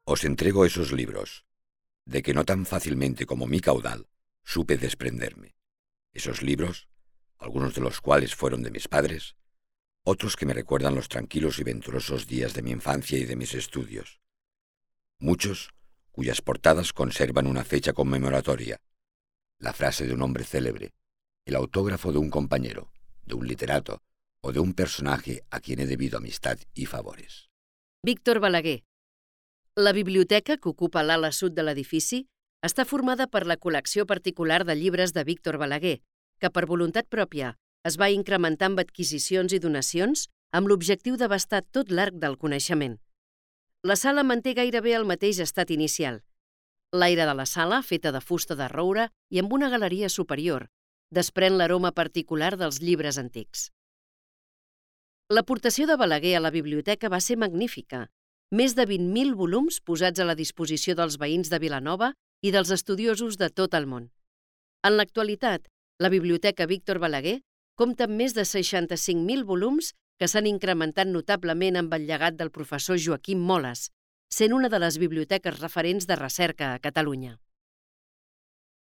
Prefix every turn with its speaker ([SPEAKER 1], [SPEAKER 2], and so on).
[SPEAKER 1] Os entrego esos libros, de que no tan fácilmente como mi caudal supe desprenderme. Esos libros, algunos de los cuales fueron de mis padres, otros que me recuerdan los tranquilos y venturosos días de mi infancia y de mis estudios. Muchos cuyas portadas conservan una fecha conmemoratoria, la frase de un hombre célebre, el autógrafo de un compañero, de un literato o de un personaje a quien he debido amistad y favores.
[SPEAKER 2] Víctor Balaguer. La biblioteca, que ocupa l'ala sud de l'edifici, està formada per la col·lecció particular de llibres de Víctor Balaguer, que per voluntat pròpia es va incrementar amb adquisicions i donacions amb l'objectiu d'abastar tot l'arc del coneixement. La sala manté gairebé el mateix estat inicial. L'aire de la sala, feta de fusta de roure i amb una galeria superior, desprèn l'aroma particular dels llibres antics. L'aportació de Balaguer a la biblioteca va ser magnífica. Més de 20.000 volums posats a la disposició dels veïns de Vilanova i dels estudiosos de tot el món. En l'actualitat, la Biblioteca Víctor Balaguer compta amb més de 65.000 volums que s'han incrementat notablement amb el llegat del professor Joaquim Moles, sent una de les biblioteques referents de recerca a Catalunya.